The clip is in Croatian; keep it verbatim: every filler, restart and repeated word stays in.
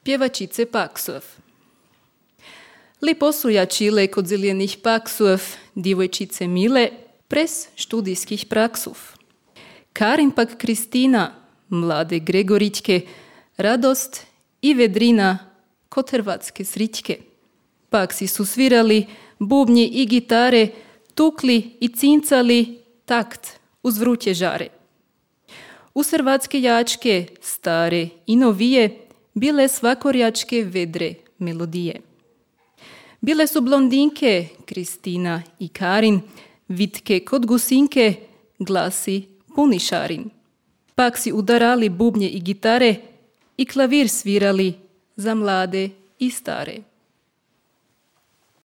pjevačice paksov. Lepo su jačile kod zelenih paksov, djevojčice mile, pres študijskih praksov. Karin pak Kristina, mlade Gregorićke, radost i vedrina kod hrvatske srićke. Paksi su svirali bubnje i gitare, tukli i cincali takt uz vruće žare. Uz hrvatske jačke, stare i novije, bile svakorjačke vedre melodije. Bile su blondinke, Kristina i Karin, vitke kod gusinke, glasi puni šarin. Paksi udarali bubnje i gitare i klavir svirali za mlade i stare.